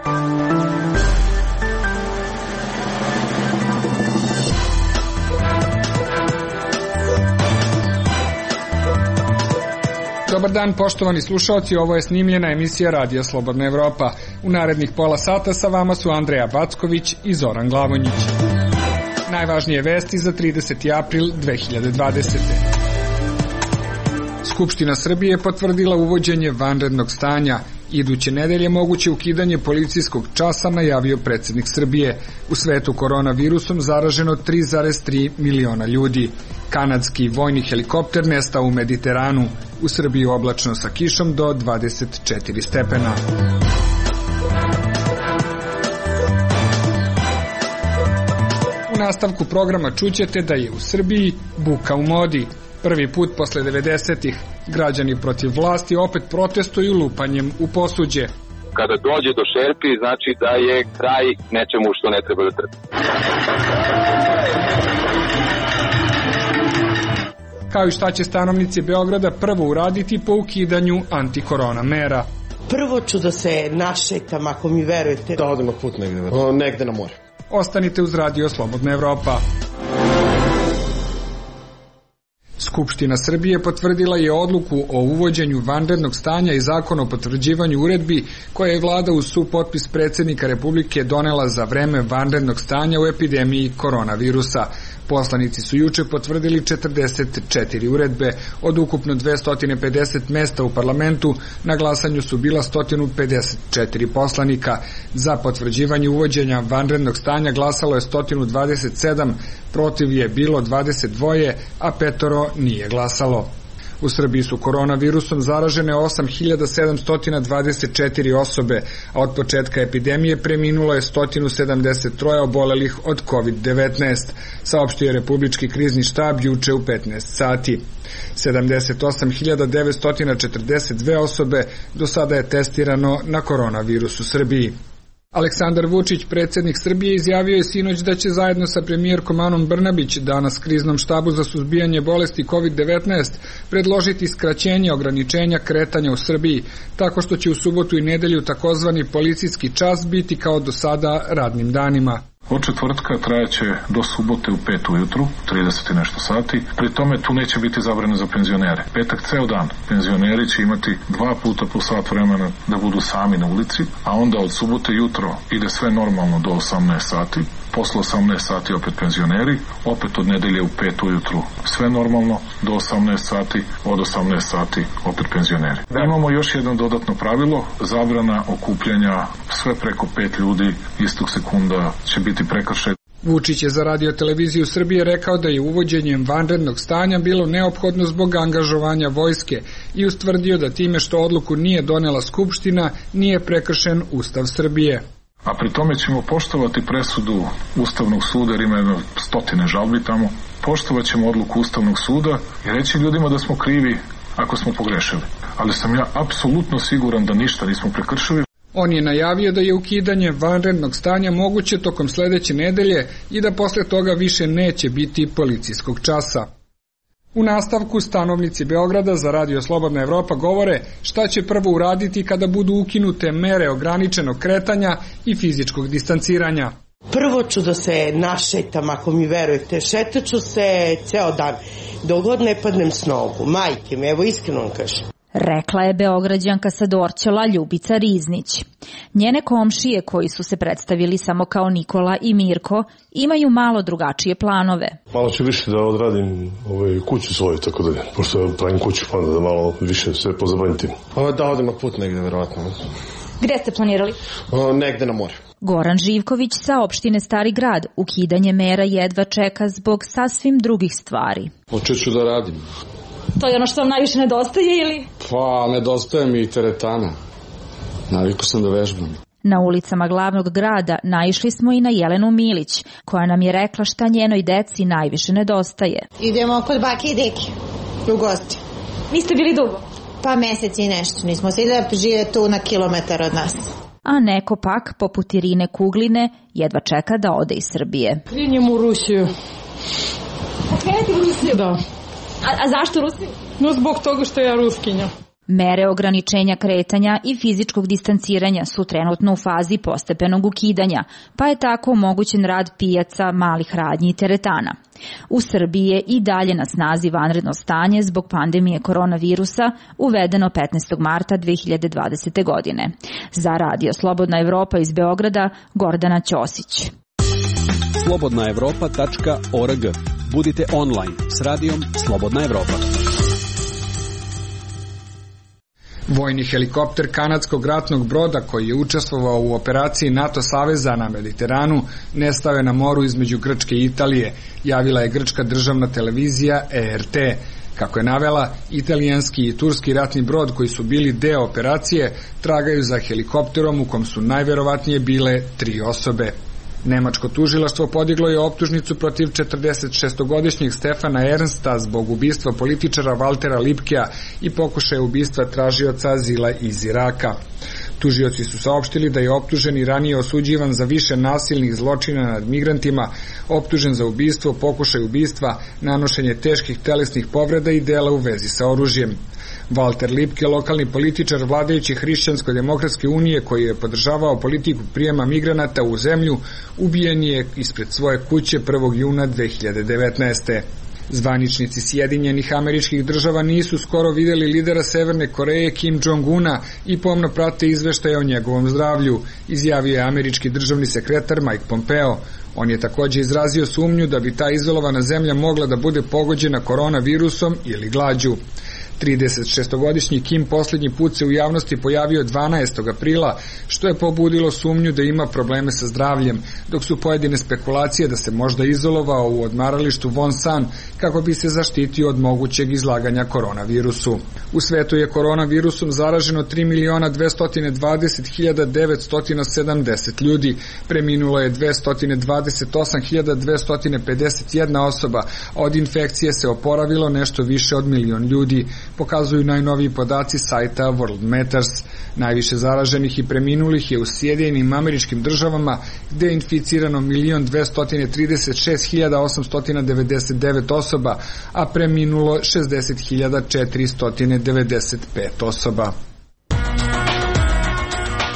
Dobar dan, poštovani slušalci, ovo je snimljena emisija Radija Slobodna Evropa. U narednih pola sata sa vama su Andreja Backović i Zoran Glavonjić. Najvažnije vesti za 30. april 2020. Skupština Srbije potvrdila uvođenje vanrednog stanja. Iduće nedelje moguće ukidanje policijskog časa, najavio predsjednik Srbije. U svetu koronavirusom zaraženo 3,3 miliona ljudi. Kanadski vojni helikopter nestao u Mediteranu. U Srbiji oblačno sa kišom do 24 stepena. U nastavku programa čućete da je u Srbiji buka u modi. Prvi put posle 90-ih građani protiv vlasti opet protestuju lupanjem u posuđe. Kada dođe do šerpi, znači da je kraj nečemu što ne treba da trpi. Kao i šta će stanovnici Beograda prvo uraditi po ukidanju antikorona mera. Prvo ću da se našetam, ako mi verujete. Da odem na put negde na more. Ostanite uz Radio Slobodna Evropa. Skupština Srbije potvrdila je odluku o uvođenju vanrednog stanja i zakon o potvrđivanju uredbi koje je vlada uz supotpis predsjednika Republike donela za vreme vanrednog stanja u epidemiji koronavirusa. Poslanici su juče potvrdili 44 uredbe. Od ukupno 250 mesta u parlamentu na glasanju su bila 154 poslanika. Za potvrđivanje uvođenja vanrednog stanja glasalo je 127, protiv je bilo 22, a 5 nije glasalo. U Srbiji su koronavirusom zaražene 8.724 osobe, a od početka epidemije preminulo je 173 obolelih od COVID-19, saopštio je Republički krizni štab juče u 15 sati. 78.942 osobe do sada je testirano na koronavirus u Srbiji. Aleksandar Vučić, predsjednik Srbije, izjavio je sinoć da će zajedno sa premijerkom Anom Brnabić danas kriznom štabu za suzbijanje bolesti COVID-19 predložiti skraćenje ograničenja kretanja u Srbiji, tako što će u subotu i nedelju takozvani policijski čas biti kao do sada radnim danima. Od četvrtka trajaće do subote u 5 ujutru, 30 i nešto sati. Pri tome tu neće biti zabrane za penzionere. Petak ceo dan. Penzioneri će imati 2 puta po sat vremena da budu sami na ulici, a onda od subote jutro ide sve normalno do 18 sati. Posle 18 sati opet penzioneri, opet od nedelje u 5 ujutru sve normalno do 18 sati, od 18 sati opet penzioneri. Imamo još jedno dodatno pravilo, zabrana okupljanja sve preko 5 ljudi istog sekunda će biti prekršaj. Vučić je za Radio televiziju Srbije rekao da je uvođenjem vanrednog stanja bilo neophodno zbog angažovanja vojske i ustvrdio da time što odluku nije donela Skupština nije prekršen Ustav Srbije. A pri tome ćemo poštovati presudu Ustavnog suda, jer ima 100 žalbi tamo, poštovat ćemo odluku Ustavnog suda i reći ljudima da smo krivi ako smo pogrešili. Ali sam ja apsolutno siguran da ništa nismo prekršili. On je najavio da je ukidanje vanrednog stanja moguće tokom sledeće nedelje i da posle toga više neće biti policijskog časa. U nastavku stanovnici Beograda za Radio Slobodna Evropa govore šta će prvo uraditi kada budu ukinute mere ograničenog kretanja i fizičkog distanciranja. Prvo ću da se našetam, ako mi verujete. Šetaću se ceo dan, dok god ne padnem s nogu. Majke mi, evo iskreno vam kažem. Rekla je Beograđanka sa Dorćola Ljubica Riznić. Njene komšije, koji su se predstavili samo kao Nikola i Mirko, imaju malo drugačije planove. Malo ću više da odradim kuću svoju, tako da, pošto pravim kuću, pa da malo više se pozabavim tim. Da odem na put negde, verovatno. Gde ste planirali? Negde na more. Goran Živković sa opštine Stari Grad ukidanje mera jedva čeka zbog sasvim drugih stvari. Počet ću da radim. To je ono što vam najviše nedostaje ili? Pa, nedostaje mi i teretana. Navikao sam da vežbam. Na ulicama glavnog grada naišli smo i na Jelenu Milić, koja nam je rekla šta njenoj deci najviše nedostaje. Idemo kod bake i deke u gosti. Niste bili dugo? Pa mesec i nešto. Nismo se da žive tu na kilometar od nas. A neko pak, poput Irine Kugline, jedva čeka da ode iz Srbije. Krenjem u Rusiju. Krenete u Rusiju? Da. A zašto Rusiju? No zbog toga što ja ruskinja. Mere ograničenja kretanja i fizičkog distanciranja su trenutno u fazi postepenog ukidanja, pa je tako omogućen rad pijaca, malih radnji i teretana. U Srbiji je i dalje na snazi vanredno stanje zbog pandemije koronavirusa, uvedeno 15. marta 2020. godine. Za Radio Slobodna Evropa iz Beograda, Gordana Ćosić. slobodnaevropa.org. Budite online s radijom Slobodna Evropa. Vojni helikopter kanadskog ratnog broda koji je učestvovao u operaciji NATO saveza na Mediteranu nestao je na moru između Grčke i Italije, javila je grčka državna televizija ERT. Kako je navela, italijanski i turski ratni brod koji su bili deo operacije tragaju za helikopterom u kom su najverovatnije bile 3 osobe. Nemačko tužilaštvo podiglo je optužnicu protiv 46-godišnjeg Stefana Ernsta zbog ubistva političara Valtera Lipkea i pokušaja ubistva tražioca azila iz Iraka. Tužioci su saopštili da je optuženi ranije osuđivan za više nasilnih zločina nad migrantima, optužen za ubistvo, pokušaj ubistva, nanošenje teških telesnih povreda i dela u vezi sa oružjem. Valter Lipke, lokalni političar vladajuće Hrišćansko-demokratske unije koji je podržavao politiku prijema migranata u zemlju, ubijen je ispred svoje kuće 1. juna 2019. Zvaničnici Sjedinjenih Američkih Država nisu skoro videli lidera Severne Koreje Kim Jong-una i pomno prate izveštaje o njegovom zdravlju, izjavio je američki državni sekretar Mike Pompeo. On je takođe izrazio sumnju da bi ta izolovana zemlja mogla da bude pogođena koronavirusom ili glađu. 36-godišnji Kim posljednji put se u javnosti pojavio 12. aprila, što je pobudilo sumnju da ima probleme sa zdravljem, dok su pojedine spekulacije da se možda izolovao u odmaralištu Wonsan kako bi se zaštitio od mogućeg izlaganja koronavirusu. U svetu je koronavirusom zaraženo 3.020.970 ljudi, preminulo je 228.251 osoba, a od infekcije se oporavilo nešto više od 1.000.000 ljudi, pokazuju najnoviji podaci sajta World Matters. Najviše zaraženih i preminulih je u Sjedinjenim Američkim Državama, gde je inficirano 1.236.899 osoba, a preminulo 60.495 osoba.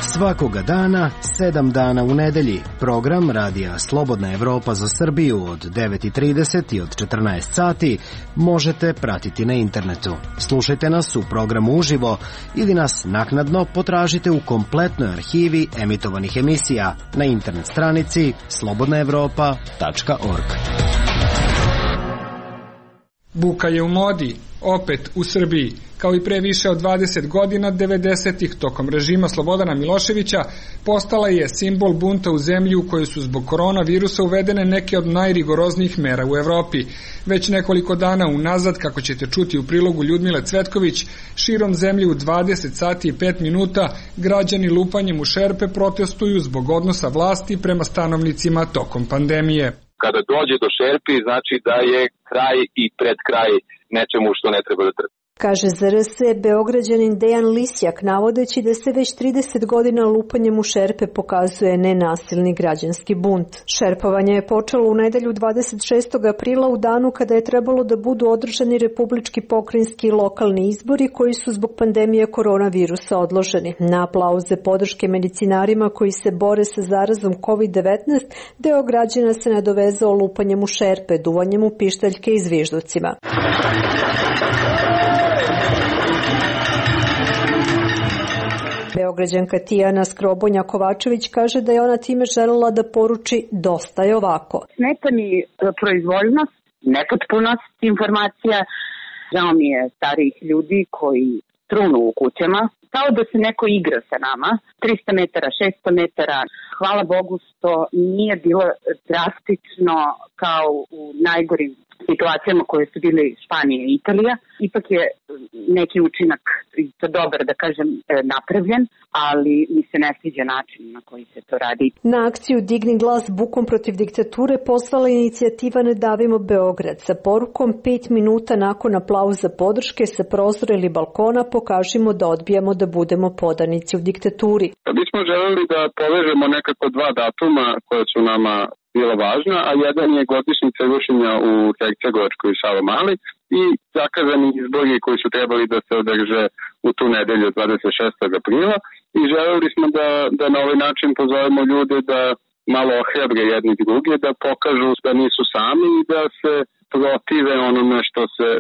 Svakoga dana, 7 dana u nedelji, program Radija Slobodna Evropa za Srbiju od 9:30 i od 14 sati možete pratiti na internetu. Slušajte nas u programu uživo ili nas naknadno potražite u kompletnoj arhivi emitovanih emisija na internet stranici slobodnaevropa.org. Buka je u modi, opet u Srbiji. Kao i pre više od 20 godina, 90-ih, tokom režima Slobodana Miloševića, postala je simbol bunta u zemlji u kojoj su zbog koronavirusa uvedene neke od najrigoroznijih mera u Evropi. Već nekoliko dana unazad, kako ćete čuti u prilogu Ljudmile Cvetković, širom zemlje u 20 sati i 5 minuta građani lupanjem u šerpe protestuju zbog odnosa vlasti prema stanovnicima tokom pandemije. Kada dođe do šerpi, znači da je kraj i pred kraj nečemu što ne treba da trpi. Kaže za RS Beograđanin Dejan Lisjak, navodeći da se već 30 godina lupanjem u šerpe pokazuje nenasilni građanski bunt. Šerpovanje je počelo u nedelju 26. aprila u danu kada je trebalo da budu održani republički, pokrajinski i lokalni izbori koji su zbog pandemije koronavirusa odloženi. Na aplauze podrške medicinarima koji se bore sa zarazom COVID-19, deo građana se nadovezao lupanjem u šerpe, duvanjem u pištaljke i zvižducima. Beograđanka Tijana Skrobonja-Kovačević kaže da je ona time želela da poruči dosta je ovako. Smeta mi proizvoljnost, nepotpunost informacija, žao mi je starijih ljudi koji trunu u kućama, kao da se neko igra sa nama, 300 metara, 600 metara. Hvala Bogu što nije bilo drastično kao u najgorim situacijama koje su bile Španija i Italija. Ipak je neki učinak, to dobar da kažem, napravljen, ali mi se ne sviđa način na koji se to radi. Na akciju Digni glas bukom protiv diktature poslala inicijativa Ne davimo Beograd sa porukom 5 minuta nakon aplauza podrške sa prozora ili balkona pokažimo da odbijamo da budemo podanici u diktaturi. Mi smo želeli da povežemo nekako 2 datuma koja su nama bila važna, a jedan je godišnjica rušenja u Hercegovačkoj i Savamali i zakazani izbori koji su trebali da se održe u tu nedelju 26. aprila i želeli smo da na ovaj način pozovemo ljude da malo ohrabre jedni druge, da pokažu da nisu sami i da se protive onome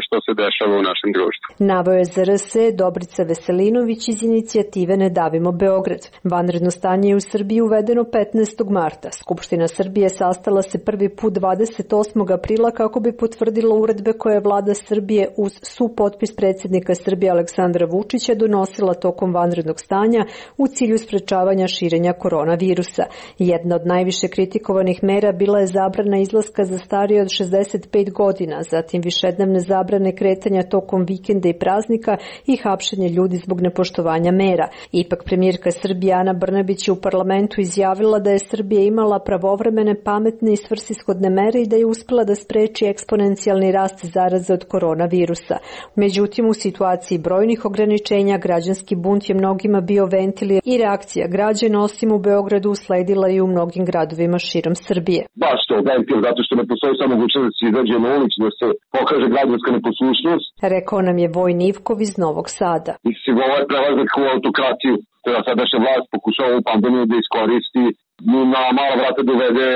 što se dešava u našem društvu. Naveo je za RS Dobrica Veselinović iz inicijative Ne davimo Beograd. Vanredno stanje je u Srbiji uvedeno 15. marta. Skupština Srbije sastala se prvi put 28. aprila kako bi potvrdila uredbe koje je vlada Srbije uz supotpis predsjednika Srbije Aleksandra Vučića donosila tokom vanrednog stanja u cilju sprečavanja širenja koronavirusa. Jedna od najviše kritikovanih mera bila je zabrana izlaska za starije od 65 godina, zatim višednevne zabrane kretanja tokom vikenda i praznika i hapšenje ljudi zbog nepoštovanja mera. Ipak premijerka Srbije Ana Brnabić je u parlamentu izjavila da je Srbija imala pravovremene, pametne i svrsishodne mere i da je uspela da spreči eksponencijalni rast zaraze od koronavirusa. Međutim, u situaciji brojnih ograničenja građanski bunt je mnogima bio ventil i reakcija građana osim u Beogradu usledila i u mnogim gradovima širom Srbije. Baš to ventil, zato što ne postoji samo mogućnost da se izađe na ulicu, da se pokaže građanska neposlušnost. Rekao nam je Vojin Ivkov iz Novog Sada. Mislim, ovaj prelazak u autokratiju, da sadašnja vlast pokušava ovu pandemiju da iskoristi na mala vrata dovede,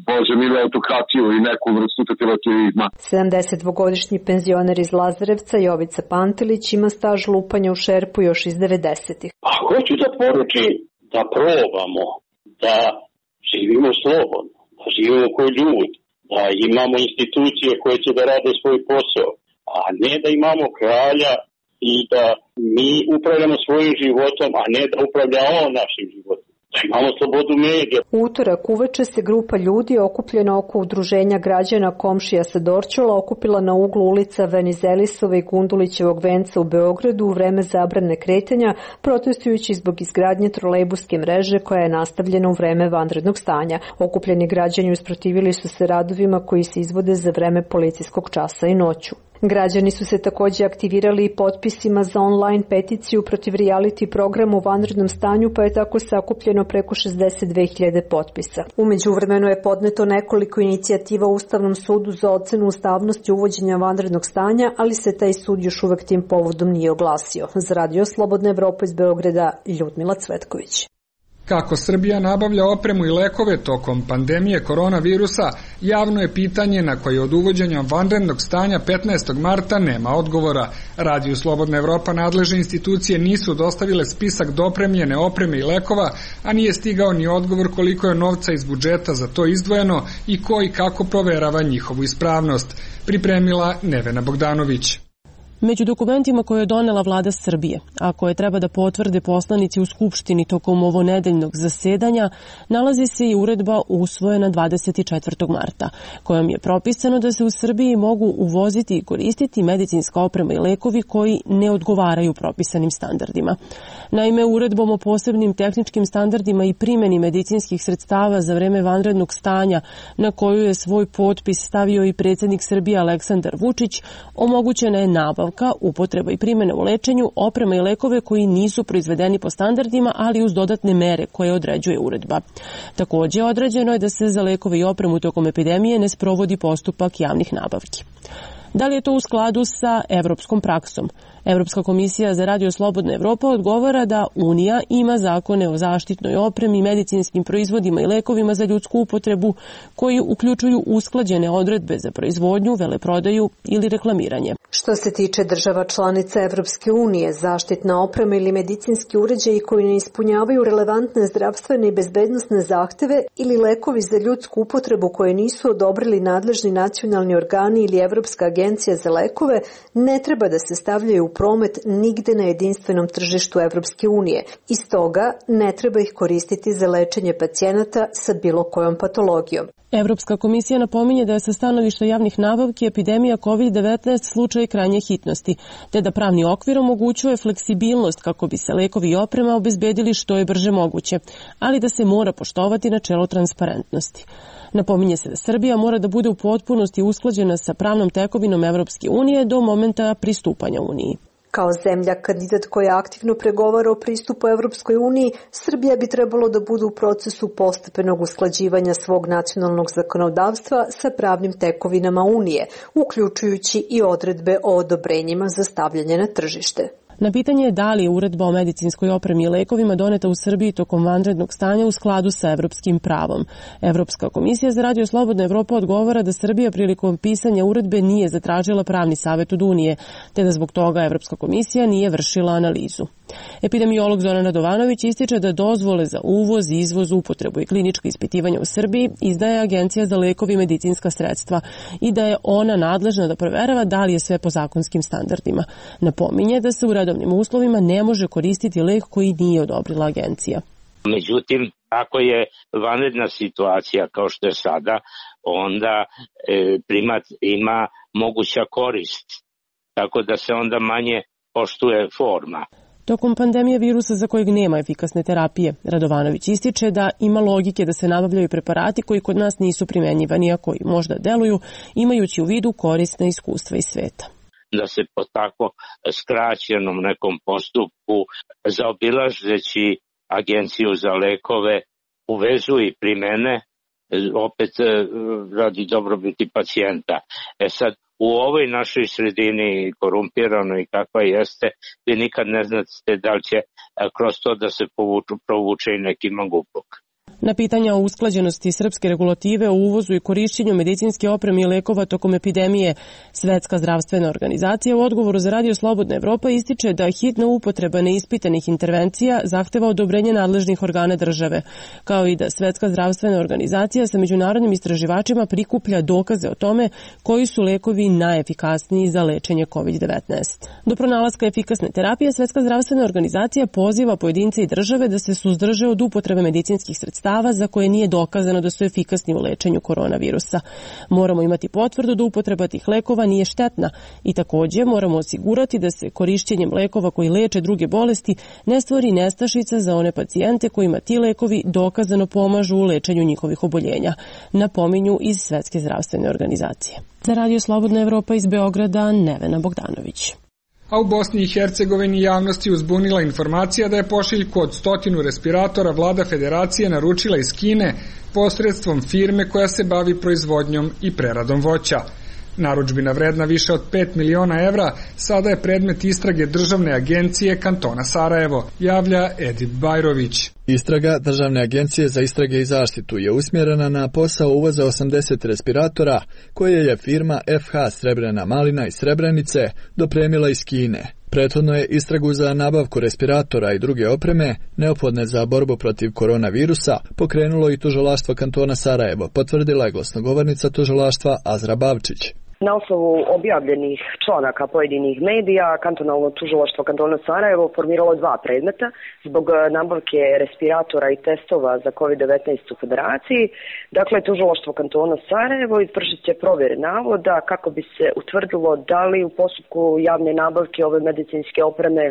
Bože milo, autokratiju i neku vrstu totalitarizma. 72-godišnji penzioner iz Lazarevca Jovica Pantelić ima staž lupanja u šerpu još iz 90-ih. Pa hoću da poručim da probamo, da živimo slobodno, da živimo kao ljudi, da imamo institucije koje će da rade svoj posao, a ne da imamo kralja i da mi upravljamo svojim životom, a ne da upravlja on našim životom. Da imamo slobodu medija. U utorak uveče se grupa ljudi okupljena oko udruženja građana Komšija sa Dorćola okupila na uglu ulica Venizelisova i Gundulićevog venca u Beogradu u vreme zabrane kretanja, protestujući zbog izgradnje trolejbuske mreže koja je nastavljena u vreme vanrednog stanja. Okupljeni građani usprotivili su se radovima koji se izvode za vreme policijskog časa i noću. Građani su se također aktivirali i potpisima za online peticiju protiv reality programa u vanrednom stanju, pa je tako sakupljeno preko 62.000 potpisa. U međuvremenu je podneto nekoliko inicijativa u Ustavnom sudu za ocenu ustavnosti uvođenja vanrednog stanja, ali se taj sud još uvek tim povodom nije oglasio. Za Radio Slobodna Evropa iz Beograda, Ljudmila Cvetković. Kako Srbija nabavlja opremu i lekove tokom pandemije koronavirusa, javno je pitanje na koje od uvođenja vanrednog stanja 15. marta nema odgovora. Radio Slobodna Evropa nadležne institucije nisu dostavile spisak dopremljene opreme i lekova, a nije stigao ni odgovor koliko je novca iz budžeta za to izdvojeno i ko i kako proverava njihovu ispravnost. Pripremila Nevena Bogdanović. Među dokumentima koje je donela vlada Srbije, a koje treba da potvrde poslanici u Skupštini tokom ovonedeljnog zasedanja, nalazi se i uredba usvojena 24. marta, kojom je propisano da se u Srbiji mogu uvoziti i koristiti medicinska oprema i lekovi koji ne odgovaraju propisanim standardima. Naime, uredbom o posebnim tehničkim standardima i primjeni medicinskih sredstava za vreme vanrednog stanja, na koju je svoj potpis stavio i predsjednik Srbije Aleksandar Vučić, omogućena je nabavka, upotreba i primjena u lečenju, oprema i lekove koji nisu proizvedeni po standardima, ali uz dodatne mere koje određuje uredba. Također određeno je da se za lekove i opremu tokom epidemije ne sprovodi postupak javnih nabavki. Da li je to u skladu sa evropskom praksom? Evropska komisija za Radio Slobodna Evropa odgovara da Unija ima zakone o zaštitnoj opremi, medicinskim proizvodima i lekovima za ljudsku upotrebu koji uključuju usklađene odredbe za proizvodnju, veleprodaju ili reklamiranje. Što se tiče država članica Evropske unije, zaštitna oprema ili medicinski uređaji koji ne ispunjavaju relevantne zdravstvene i bezbednosne zahteve ili lekovi za ljudsku upotrebu koje nisu odobrili nadležni nacionalni organi ili Evropska agencija za lekove, ne treba da se stavljaju u promet nigde na jedinstvenom tržištu Evropske unije. Iz toga ne treba ih koristiti za lečenje pacijenata sa bilo kojom patologijom. Evropska komisija napominje da je sa stanovišta javnih nabavki epidemija COVID-19 slučaj krajnje hitnosti, te da pravni okvir omogućuje fleksibilnost kako bi se lekovi i oprema obezbedili što je brže moguće, ali da se mora poštovati načelo transparentnosti. Napominje se da Srbija mora da bude u potpunosti usklađena sa pravnom tekovinom Evropske unije do momenta pristupanja Uniji. Kao zemlja kandidat koja aktivno pregovara o pristupu Evropskoj uniji, Srbija bi trebalo da bude u procesu postepenog usklađivanja svog nacionalnog zakonodavstva sa pravnim tekovinama Unije, uključujući i odredbe o odobrenjima za stavljanje na tržište. Na pitanje da li je uredba o medicinskoj opremi i lekovima doneta u Srbiji tokom vanrednog stanja u skladu sa evropskim pravom. Evropska komisija za Radio Slobodna Evropa odgovara da Srbija prilikom pisanja uredbe nije zatražila pravni savjet od Unije, te da zbog toga Evropska komisija nije vršila analizu. Epidemiolog Zoran Radovanović ističe da dozvole za uvoz, izvoz, upotrebu i klinička ispitivanja u Srbiji izdaje Agencija za lekove i medicinska sredstva i da je ona nadležna da proverava da li je sve po zakonskim standardima. Napominje da se u redovnim uslovima ne može koristiti lek koji nije odobrila agencija. Međutim, ako je vanredna situacija kao što je sada, onda primat ima moguća korist, tako da se onda manje poštuje forma. Tokom pandemije virusa za kojeg nema efikasne terapije, Radovanović ističe da ima logike da se nabavljaju preparati koji kod nas nisu primenjivani, a koji možda deluju, imajući u vidu korisna iskustva iz sveta. Da se po tako skraćenom nekom postupku, zaobilazeći Agenciju za lekove, uvezu i primene, opet radi dobrobiti pacijenta. Sad, u ovoj našoj sredini korumpiranoj kakva jeste, vi nikad ne znate da li će kroz to da se provuče i neki mangupluk. Na pitanja o usklađenosti srpske regulative o uvozu i korišćenju medicinske opreme i lekova tokom epidemije, Svetska zdravstvena organizacija u odgovoru za Radio Slobodna Evropa ističe da hitna upotreba neispitanih intervencija zahteva odobrenje nadležnih organa države, kao i da Svetska zdravstvena organizacija sa međunarodnim istraživačima prikuplja dokaze o tome koji su lekovi najefikasniji za lečenje COVID-19. Do pronalaska efikasne terapije, Svetska zdravstvena organizacija poziva pojedince i države da se suzdrže od upotrebe medicinskih sredstava za koje nije dokazano da su efikasni u lečenju koronavirusa. Moramo imati potvrdu da upotreba tih lekova nije štetna i takođe moramo osigurati da se korišćenjem lekova koji leče druge bolesti ne stvori nestašica za one pacijente kojima ti lekovi dokazano pomažu u lečenju njihovih oboljenja, napominju iz Svetske zdravstvene organizacije. Za Radio Slobodna Evropa iz Beograda, Nevena Bogdanović. A u Bosni i Hercegovini javnosti uzbunila informacija da je pošiljku od 100 respiratora vlada federacije naručila iz Kine posredstvom firme koja se bavi proizvodnjom i preradom voća. Narudžbina vredna više od 5 miliona evra sada je predmet istrage Državne agencije kantona Sarajevo, javlja Edip Bajrović. Istraga Državne agencije za istrage i zaštitu je usmjerena na posao uvoza 80 respiratora koje je firma FH Srebrena Malina iz Srebrenice dopremila iz Kine. Prethodno je istragu za nabavku respiratora i druge opreme neophodne za borbu protiv koronavirusa pokrenulo i tužilaštvo kantona Sarajevo, potvrdila je glasnogovornica tužilaštva Azra Bavčić. Na osnovu objavljenih članaka pojedinih medija, kantonalno tužilaštvo kantona Sarajevo formiralo 2 predmeta zbog nabavke respiratora i testova za COVID-19 u federaciji. Dakle, tužilaštvo kantona Sarajevo izvršit će provjere navoda kako bi se utvrdilo da li u postupku javne nabavke ove medicinske opreme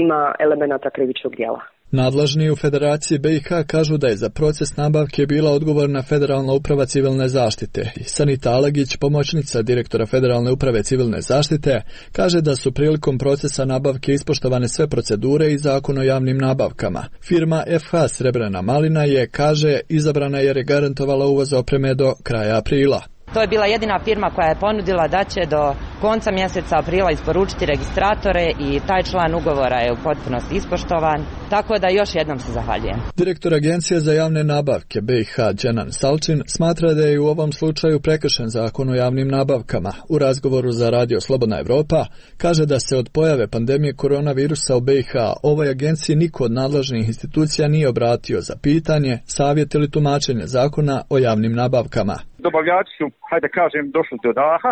ima elemenata krivičnog djela. Nadležni u Federaciji BiH kažu da je za proces nabavke bila odgovorna Federalna uprava civilne zaštite. Sanita Alagić, pomoćnica direktora Federalne uprave civilne zaštite, kaže da su prilikom procesa nabavke ispoštovane sve procedure i zakon o javnim nabavkama. Firma FH Srebrena Malina je, kaže, izabrana jer je garantovala uvoz opreme do kraja aprila. To je bila jedina firma koja je ponudila da će do konca mjeseca aprila isporučiti registratore i taj član ugovora je u potpunosti ispoštovan, tako da još jednom se zahvaljujem. Direktor Agencije za javne nabavke BiH Dženan Salčin smatra da je u ovom slučaju prekršen zakon o javnim nabavkama. U razgovoru za Radio Slobodna Evropa kaže da se od pojave pandemije koronavirusa u BiH ovoj agenciji niko od nadležnih institucija nije obratio za pitanje, savjet ili tumačenje zakona o javnim nabavkama. Dobavljači su, hajde kažem, došli do daha,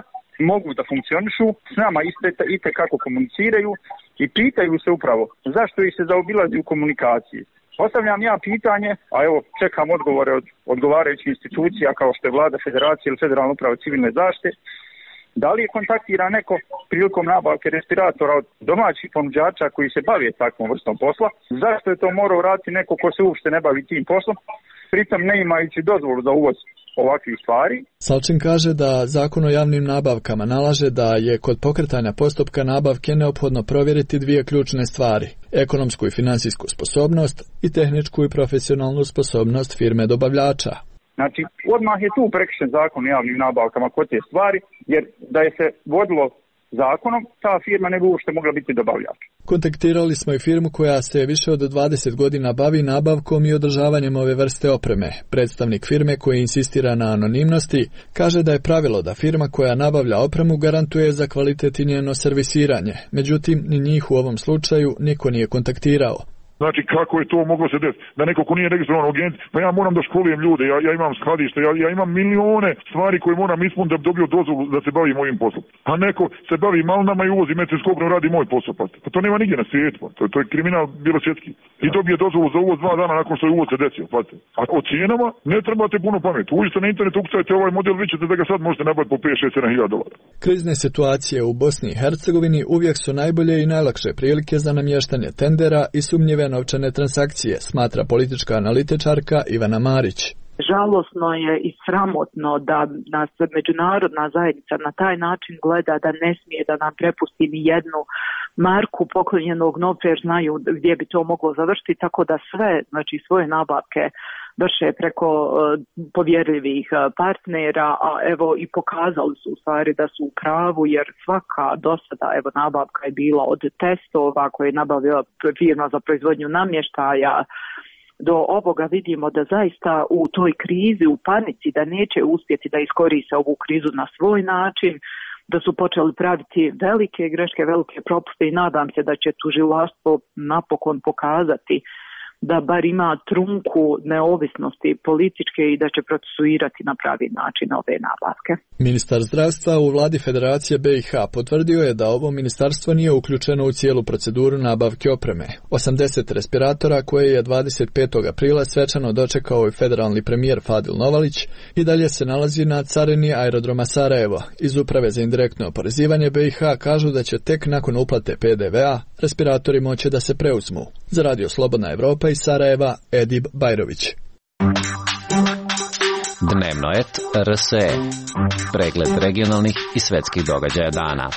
mogu da funkcionišu, s nama ite kako komuniciraju i pitaju se upravo zašto ih se zaobilazi u komunikaciji. Postavljam ja pitanje, a evo čekam odgovore od odgovarajućih institucija kao što je Vlada Federacije ili Federalna uprava civilne zaštite. Da li je kontaktira neko prilikom nabavke respiratora od domaćih ponuđača koji se bave takvom vrstom posla? Zašto je to morao raditi neko ko se uopšte ne bavi tim poslom, pritom ne imajući dozvolu za uvoz ovakvih stvari? Salčin kaže da zakon o javnim nabavkama nalaže da je kod pokretanja postupka nabavke neophodno provjeriti 2 ključne stvari: ekonomsku i finansijsku sposobnost i tehničku i profesionalnu sposobnost firme dobavljača. Znači, odmah je tu prekršen zakon o javnim nabavkama kod te stvari, jer da je se vodilo zakonom, ta firma ne bi uopšte mogla biti dobavljač. Kontaktirali smo i firmu koja se više od 20 godina bavi nabavkom i održavanjem ove vrste opreme. Predstavnik firme koji insistira na anonimnosti kaže da je pravilo da firma koja nabavlja opremu garantuje za kvalitet i njeno servisiranje. Međutim, ni njih u ovom slučaju niko nije kontaktirao. Znači, kako je to moglo se desiti? Da neko ko nije registrovan agent, pa ja moram da školujem ljude, ja imam skladište, ja imam milione stvari koje moram ispuniti da bi dobio dozvolu da se bavim mojim poslom. A neko se bavi malinama i uvozi metilskopno, radi moj posao. Pa to nema nigdje na svijetu. To je kriminal bilo svjetski. I dobije dozvolu za uvoz 2 dana nakon što je uvoz se desio. A o cijenama ne trebate puno pameti. Uđite na internet, ukucajte ovaj model, vi ćete da ga sad možete nabaviti po 5-6-7 dolara. Krizne situacije u Bosni i Hercegovini uvijek su najbolje i najlakše prilike za namještanje tendera i sumnjive novčane transakcije, smatra politička analitičarka Ivana Marić. Žalosno je i sramotno da nas međunarodna zajednica na taj način gleda, da ne smije da nam prepusti ni jednu marku poklonjenog novca jer znaju gdje bi to moglo završiti, tako da sve, znači svoje nabavke vrše preko povjerljivih partnera, a evo i pokazali su u stvari da su u pravu, jer svaka dosada evo nabavka je bila od testova koje je nabavila firma za proizvodnju namještaja. Do ovoga vidimo da zaista u toj krizi, u panici, da neće uspjeti da iskoriste ovu krizu na svoj način, da su počeli praviti velike greške, velike propuste i nadam se da će tužilaštvo napokon pokazati da bar ima trunku neovisnosti političke i da će procesuirati na pravi način ove nabavke. Ministar zdravstva u vladi Federacije BiH potvrdio je da ovo ministarstvo nije uključeno u cijelu proceduru nabavke opreme. 80 respiratora koje je 25. aprila svečano dočekao i federalni premijer Fadil Novalić i dalje se nalazi na carini aerodroma Sarajevo. Iz Uprave za indirektno oporezivanje BiH kažu da će tek nakon uplate PDV-a respiratori moći da se preuzmu. Za Radio Slobodna Evropa iz Sarajeva, Edib Bajrović. Dnevno et RSE. Pregled regionalnih i svetskih događaja dana.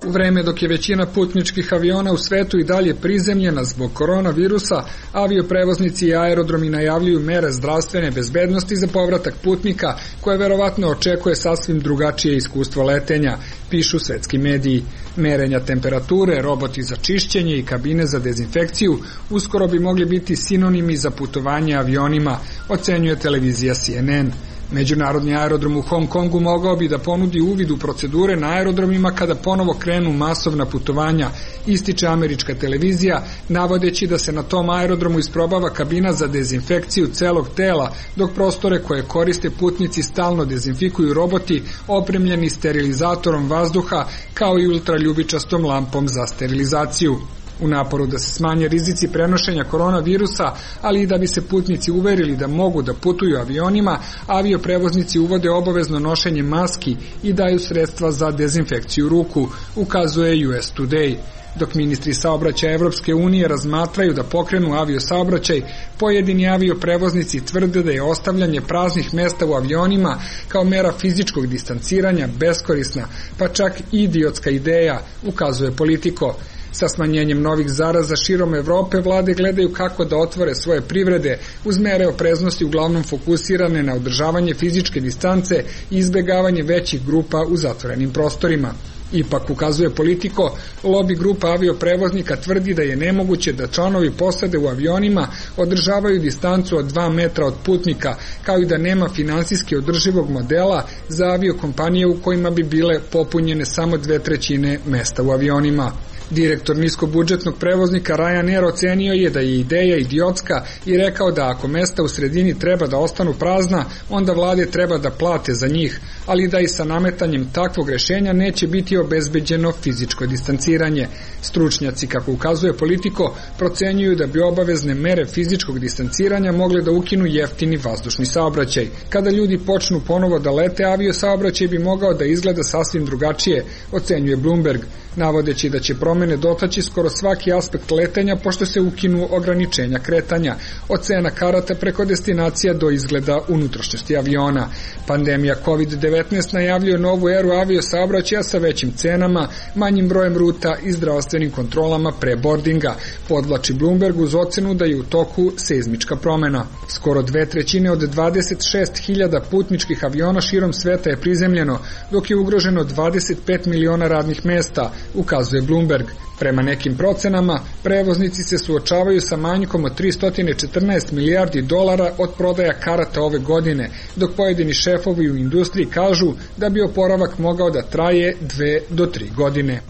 U vreme dok je većina putničkih aviona u svetu i dalje prizemljena zbog koronavirusa, avioprevoznici i aerodromi najavljuju mere zdravstvene bezbednosti za povratak putnika, koje verovatno očekuje sasvim drugačije iskustvo letenja, pišu svetski mediji. Merenja temperature, roboti za čišćenje i kabine za dezinfekciju uskoro bi mogli biti sinonimi za putovanje avionima, ocenjuje televizija CNN. Međunarodni aerodrom u Hong Kongu mogao bi da ponudi uvid u procedure na aerodromima kada ponovo krenu masovna putovanja, ističe američka televizija, navodeći da se na tom aerodromu isprobava kabina za dezinfekciju celog tela, dok prostore koje koriste putnici stalno dezinfikuju roboti opremljeni sterilizatorom vazduha kao i ultraljubičastom lampom za sterilizaciju. U naporu da se smanje rizici prenošenja koronavirusa, ali i da bi se putnici uverili da mogu da putuju avionima, avioprevoznici uvode obavezno nošenje maski i daju sredstva za dezinfekciju ruku, ukazuje US Today. Dok ministri saobraćaja Evropske unije razmatraju da pokrenu aviosaobraćaj, pojedini avioprevoznici tvrde da je ostavljanje praznih mesta u avionima kao mera fizičkog distanciranja beskorisna, pa čak i idiotska ideja, ukazuje Politico. Sa smanjenjem novih zaraza širom Evrope vlade gledaju kako da otvore svoje privrede uz mere opreznosti uglavnom fokusirane na održavanje fizičke distance i izbjegavanje većih grupa u zatvorenim prostorima. Ipak, ukazuje Politico, lobby grupa avioprevoznika tvrdi da je nemoguće da članovi posade u avionima održavaju distancu od 2 metra od putnika, kao i da nema finansijski održivog modela za aviokompanije u kojima bi bile popunjene samo 2/3 mesta u avionima. Direktor niskobudžetnog prevoznika Ryanair ocenio je da je ideja idiotska i rekao da ako mesta u sredini treba da ostanu prazna, onda vlade treba da plate za njih, ali da i sa nametanjem takvog rešenja neće biti obezbeđeno fizičko distanciranje. Stručnjaci, kako ukazuje Politico, procenjuju da bi obavezne mere fizičkog distanciranja mogle da ukinu jeftini vazdušni saobraćaj. Kada ljudi počnu ponovo da lete, aviosaobraćaj bi mogao da izgleda sasvim drugačije, ocenjuje Bloomberg, navodeći da će promjena promene dotaći skoro svaki aspekt letenja pošto se ukinu ograničenja kretanja, od cena karata preko destinacija do izgleda unutrašnjosti aviona. Pandemija COVID-19 najavljuje novu eru aviosaobraćaja sa većim cenama, manjim brojem ruta i zdravstvenim kontrolama pre boardinga, podvlači Bloomberg uz ocenu da je u toku seizmička promena. Skoro 2/3 od 26.000 putničkih aviona širom sveta je prizemljeno, dok je ugroženo 25 miliona radnih mesta, ukazuje Bloomberg. Prema nekim procenama, prevoznici se suočavaju sa manjkom od 314 milijardi dolara od prodaja karata ove godine, dok pojedini šefovi u industriji kažu da bi oporavak mogao da traje 2 do 3 godine.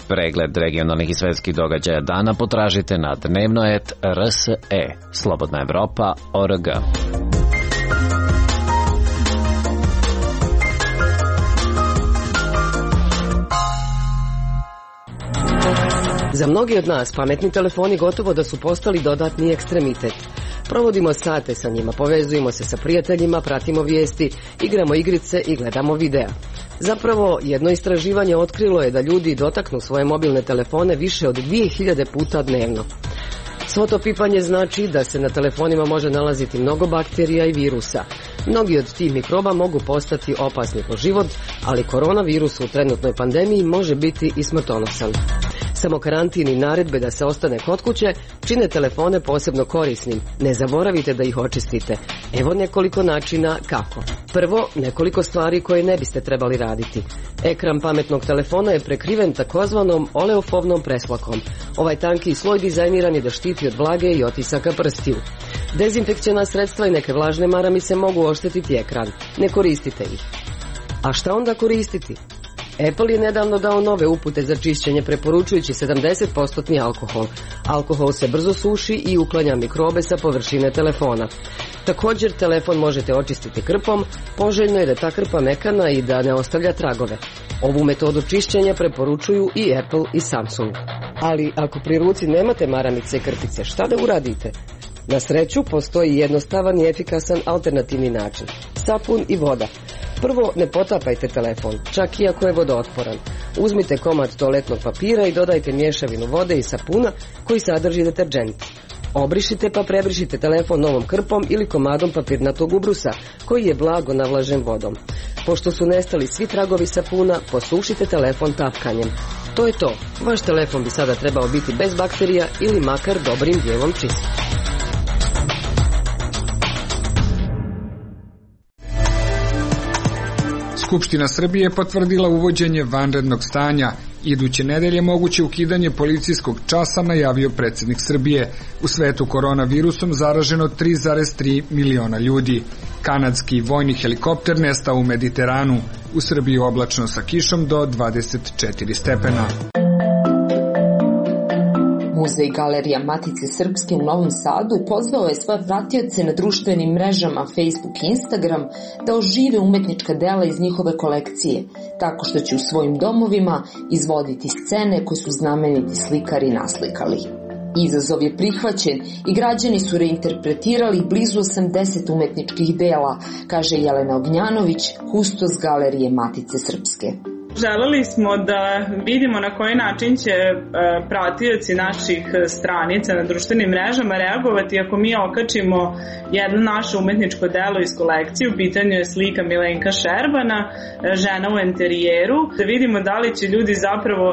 Pregled regionalnih i svetskih događaja dana potražite na dnevno.rse, slobodnaevropa.org. Za mnogi od nas pametni telefoni gotovo da su postali dodatni ekstremitet. Provodimo sate sa njima, povezujemo se sa prijateljima, pratimo vijesti, igramo igrice i gledamo videa. Zapravo, jedno istraživanje otkrilo je da ljudi dotaknu svoje mobilne telefone više od 2000 puta dnevno. Svo to pipanje znači da se na telefonima može nalaziti mnogo bakterija i virusa. Mnogi od tih mikroba mogu postati opasni po život, ali koronavirus u trenutnoj pandemiji može biti i smrtonosan. Samo karantin i naredbe da se ostane kod kuće čine telefone posebno korisnim. Ne zaboravite da ih očistite. Evo nekoliko načina kako. Prvo, nekoliko stvari koje ne biste trebali raditi. Ekran pametnog telefona je prekriven takozvanom oleofobnom preslakom. Ovaj tanki sloj dizajniran je da štiti od vlage i otisaka prstiju. Dezinfekciona sredstva i neke vlažne maramice mogu oštetiti ekran. Ne koristite ih. A šta onda koristiti? Apple je nedavno dao nove upute za čišćenje preporučujući 70% alkohol. Alkohol se brzo suši i uklanja mikrobe sa površine telefona. Također, telefon možete očistiti krpom, poželjno je da ta krpa mekana i da ne ostavlja tragove. Ovu metodu čišćenja preporučuju i Apple i Samsung. Ali ako pri ruci nemate maramice i krpice, šta da uradite? Na sreću, postoji jednostavan i efikasan alternativni način. Sapun i voda. Prvo, ne potapajte telefon, čak i ako je vodootporan. Uzmite komad toaletnog papira i dodajte mješavinu vode i sapuna koji sadrži deterdžent. Obrišite pa prebrišite telefon novom krpom ili komadom papirnatog ubrusa koji je blago navlažen vodom. Pošto su nestali svi tragovi sapuna, posušite telefon tapkanjem. To je to. Vaš telefon bi sada trebao biti bez bakterija ili makar dobrim dijelom čist. Skupština Srbije potvrdila uvođenje vanrednog stanja. Iduće nedelje moguće ukidanje policijskog časa, najavio predsjednik Srbije. U svetu koronavirusom zaraženo 3,3 miliona ljudi. Kanadski vojni helikopter nestao u Mediteranu. U Srbiji oblačno sa kišom do 24 stepena. Muzej Galerija Matice Srpske u Novom Sadu pozvao je svoje pratioce na društvenim mrežama Facebook i Instagram da ožive umetnička dela iz njihove kolekcije, tako što će u svojim domovima izvoditi scene koje su znameniti slikari naslikali. Izazov je prihvaćen i građani su reinterpretirali blizu 80 umetničkih dela, kaže Jelena Ognjanović, kustos Galerije Matice Srpske. Želeli smo da vidimo na koji način će pratioci naših stranica na društvenim mrežama reagovati ako mi okačimo jedno naše umetničko delo iz kolekcije. U pitanju je slika Milenka Šerbana, žena u enterijeru. Da vidimo da li će ljudi zapravo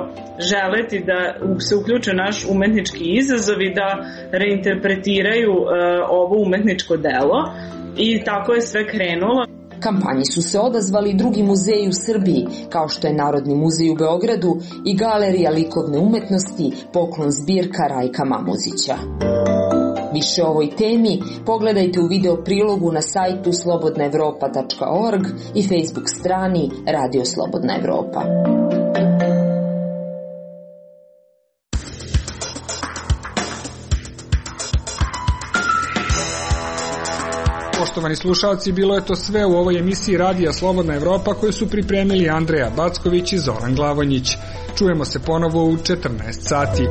želeti da se uključe naš umetnički izazov i da reinterpretiraju ovo umetničko delo. I tako je sve krenulo. Kampanji su se odazvali drugi muzeji u Srbiji, kao što je Narodni muzej u Beogradu i Galerija likovne umetnosti Poklon zbirka Rajka Mamuzića. Više o ovoj temi pogledajte u video prilogu na sajtu slobodnaevropa.org i Facebook strani Radio Slobodna Evropa. Poštovani slušalci, bilo je to sve u ovoj emisiji Radija Slobodna Evropa koju su pripremili Andreja Backović i Zoran Glavonjić. Čujemo se ponovo u 14 sati.